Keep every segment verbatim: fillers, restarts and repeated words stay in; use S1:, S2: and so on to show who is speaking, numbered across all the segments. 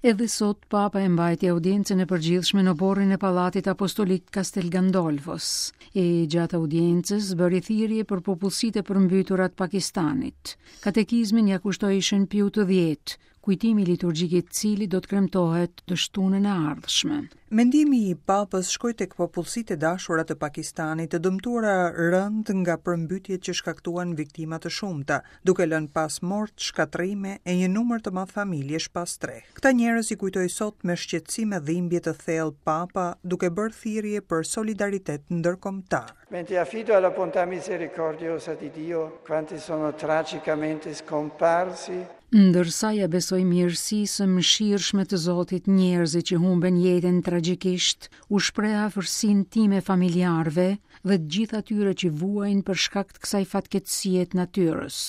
S1: Edhe sot Papa e mbajti audiencën e përgjithshme në oborrin e Pallatit Apostolik Castel Gandolfos. E gjatë audiencës bëri thirrje për popullsitë e përmbytura të Pakistanit. Katekizmin ja kushtoi Shën Piu të dhjetë, kujtimi liturgjik i cilit do të kremtohet të shtunën e ardhshme.
S2: Mendimi i Papës shkoi tek popullsitë e dashura të Pakistanit, të dëmtuara rënd nga përmbytjet që shkaktuan viktima të shumta, duke lënë pas mort, shkatërrime e një numër të madh familjesh pa strehë. Këta njerëz i kujtoi sot me shqetësim e dhimbje të thellë Papa, duke bërë thirrje për solidaritet ndërkombëtar.
S3: Mentre affido alla bontà misericordiosa di Dio quanti sono tragicamente scomparsi,
S1: Ndërsa ja besoj mirësisë së mëshirshme të Zotit njerëzit që humben jetën tragjikisht, u shpreh afërsinë time familjarëve dhe të gjithë atyre që vuajnë për shkak të kësaj fatkeqësie të natyrës.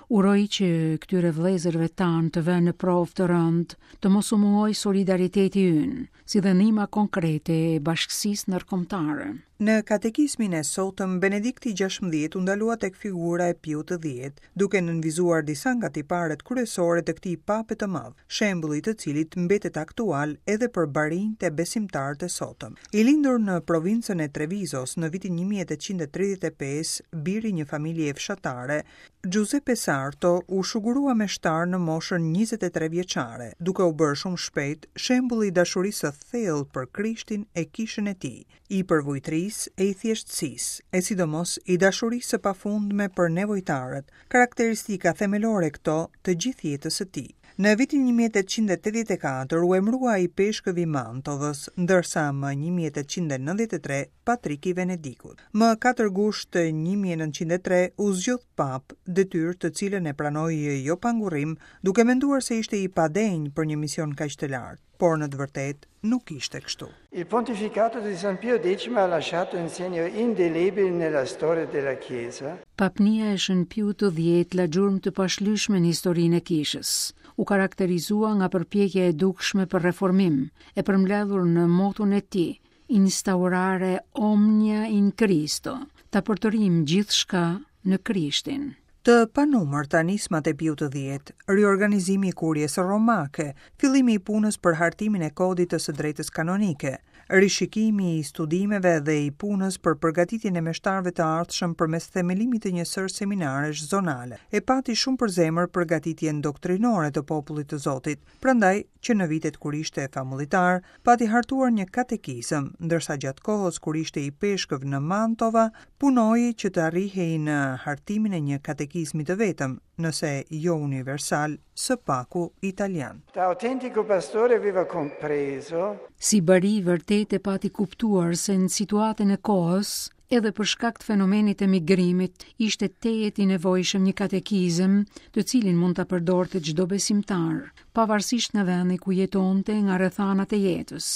S1: Uroj që këtyre vëllezërve tanë të vënë në provë të rëndë, të mos u mungojë solidariteti ynë, si dhe ndihma konkrete e bashkësisë ndërkombëtare.
S2: Në katekizmin e sotëm, Benedikti gjashtëmbëdhjetë u ndalua tek figura e Piut të dhjetë, duke nënvizuar disa nga tiparet kryesore të këtij pape të madh, shembulli i të cilit mbetet aktual edhe për barinjtë e besimtarët e sotëm. I lindur në provincën e Trevisos në vitin një mijë e tetëqind e tridhjetë e pesë, biri një familje fshatare, Giuseppe Sarto u shugurua meshtar në moshën njëzet e tre vjeçare, duke u bërë shumë shpejt shembulli i dashurisë së thellë për Krishtin e kishën e tij, i përvujtrisë e i thjeshtësisë, e sidomos i dashurisë së pafundme për nevojtarët, karakteristika themelore këto të gjithë jetës së tij. Në vitin një mijë e tetëqind e tetëdhjetë e katër u emërua i peshkëv i Mantovës, ndërsa më një mijë e tetëqind e nëntëdhjetë e tre patrik i Venedikut. Më katër gusht një mijë e nëntëqind e tre u zgjodh pap, detyrë të cilën e pranoi jo pa ngurrim, duke menduar se ishte i padenjë për një mision kaq të lartë, por në të vërtetë nuk ishte kështu.
S3: Il pontificato di San Pio X ha lasciato un segno indelebile nella storia della Chiesa.
S1: Papnia e Shën Piut të dhjetë la gjurmë të pashlyeshme në historinë e kishës. U karakterizua nga përpjekja e dukshme për reformim, e përmbledhur në moton e tij, instaurare omnia in Cristo, ta përtërim gjithçka në Krishtin.
S2: Të panumërta nismat e Piut të dhjetë, riorganizimi i kurjes romake, fillimi i punës për hartimin e kodit të së drejtës kanonike, rishikimi i studimeve dhe i punës për përgatitjen e meshtarëve të ardhshëm përmes themelimit të një sërë seminaresh zonale. E pati shumë për zemër përgatitjen doktrinore të popullit të Zotit, prandaj që në vitet kur ishte famullitar, pati hartuar një katekizëm, ndërsa gjatë kohës kur ishte i peshkëv në Mantova, punoi që të arrihej në hartimin e një katekizmi të vetëm, nëse jo universal, së paku italian.
S3: Da autentico pastore aveva compreso
S1: Si bari vërtet e pati kuptuar se në situatën e kohës, edhe për shkak të fenomenit të migrimit, ishte tejet i nevojshëm një katekizëm, të cilin mund ta përdorte çdo besimtar, pavarësisht nga vendi ku jetonte, nga rrethanat e jetës.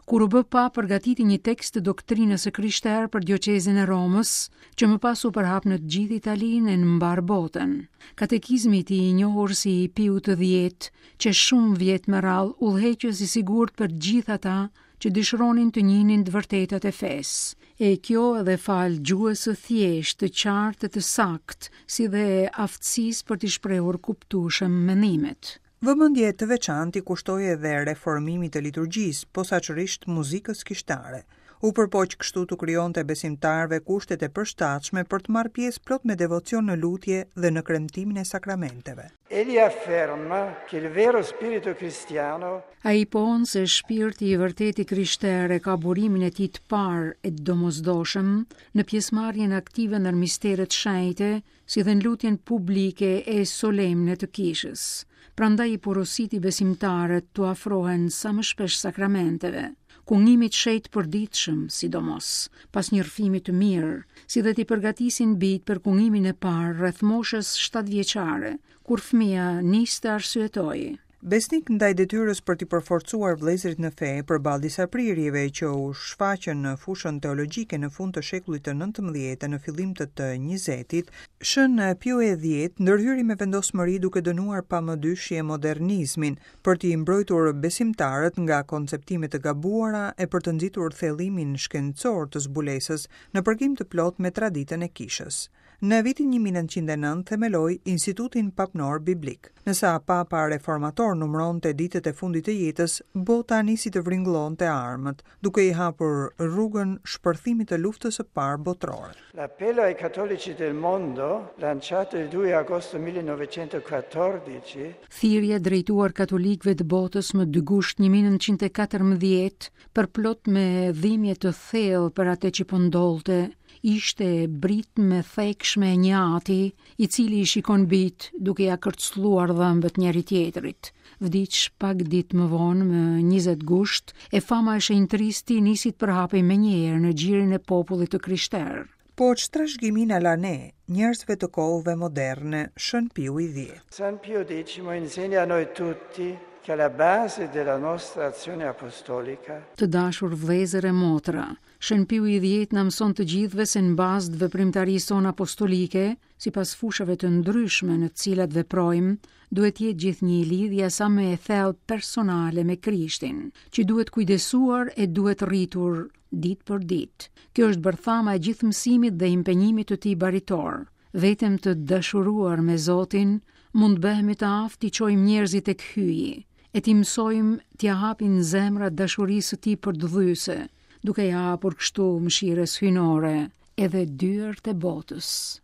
S1: Kur u bë pa, përgatiti një tekst të doktrinës së krishterë për dioqezën e Romës, që më pas u përhap në të gjithë Italinë e në mbar botën. Katekizmi i tij, i njohur si i Piut të dhjetë, që shumë vjet më rrallë udhëheqës i sigurt për gjithë ata që dëshironin të njihnin të vërtetat e fesë. E kjo edhe fal gjuhës së thjeshtë, të qartë e të saktë, si dhe aftësisë për t'i shprehur kuptueshëm mendimet.
S2: Vëmendje të veçantë i kushtoi edhe reformimit të liturgjisë, posaçërisht muzikës kishtare. U përpoq kështu të krijonte besimtarëve kushtet e përshtatshme për të marrë pjesë plot me devocion në lutje dhe në kremtimin e sakramenteve.
S3: Egli afferma che il vero spirito cristiano
S1: Ai pohon se shpirti i vërtetë i krishterë ka burimin e tij të parë e të domosdoshëm në pjesëmarrjen aktive në misteret shenjte, si dhe në lutjen publike e solemne të kishës. Prandaj i porositi besimtarët t'u afrohen sa më shpesh sakramenteve, kungimit shenjt përditshëm, sidomos, pas një rrëfimi të mirë, si dhe t'i përgatisin bijt për kungimin e parë rreth moshës shtatë vjeçare, kur fëmia nis të arsyetojë.
S2: Besnik ndaj detyrës për t'i përforcuar vëllezërit në fe përballë disa prirjeve që u shfaqën në fushën teologjike në fund të shekullit të nëntëmbëdhjetë e në fillim të të njëzetit, Shën Pio e dhjetë ndërhyri me vendosmëri duke dënuar pa mëdyshje modernizmin për t'i mbrojtur besimtarët nga konceptime të gabuara e për të nxitur thellimin shkencor të zbulesës në përkim të plot me traditën e kishës. Në vitin një mijë e nëntëqind e nëntë themeloi Institutin Papnor Biblik. Nësa Papa reformator numëronte ditët e fundit të jetës, bota nisi të vringëllonte armët, duke i hapur rrugën shpërthimit të luftës së parë botërore.
S3: L'appello ai cattolici del mondo, lanciato il due agosto millenovecentoquattordici,
S1: Thirrja drejtuar katolikëve të botës më dy gusht një mijë e nëntëqind e katërmbëdhjetë, përplot me dhimbje të thellë për atë që po ndodhte, ishte britmë e thekshme e një ati, i cili i shikon bit duke ja kërcëlluar dhëmbët njëri tjetrit. Vdiq pak ditë më vonë, më njëzet gusht, e fama e shenjtërisë nisi të përhapej menjëherë në gjirin e popullit të krishterë.
S2: Po ç'trashëgimi na la ne, njerëzve të kohëve moderne, Shën Piu i dhjetë.
S3: San Pio decimo insegna a noi tutti che alla base della nostra azione apostolica
S1: Të dashur vëllezër e motra, Shën Piu i dhjetë na mëson të gjithëve se në bazë të veprimtarisë sonë apostolike, sipas fushave të ndryshme në të cilat veprojmë, duhet jetë gjithnjë lidhja sa më e thellë personale me Krishtin, që duhet kujdesuar e duhet rritur ditë për ditë. Kjo është bërthama e gjithë mësimit dhe impenjimit të tij baritor. Vetëm të dashuruar me Zotin, mund të bëhemi të aftë t'i çojmë njerëzit tek hyji, e t'i mësojmë t'ia hapin zemrat dashurisë së tij përdhyse, duke i hapur kështu mëshirës hyjnore edhe dyert e botës.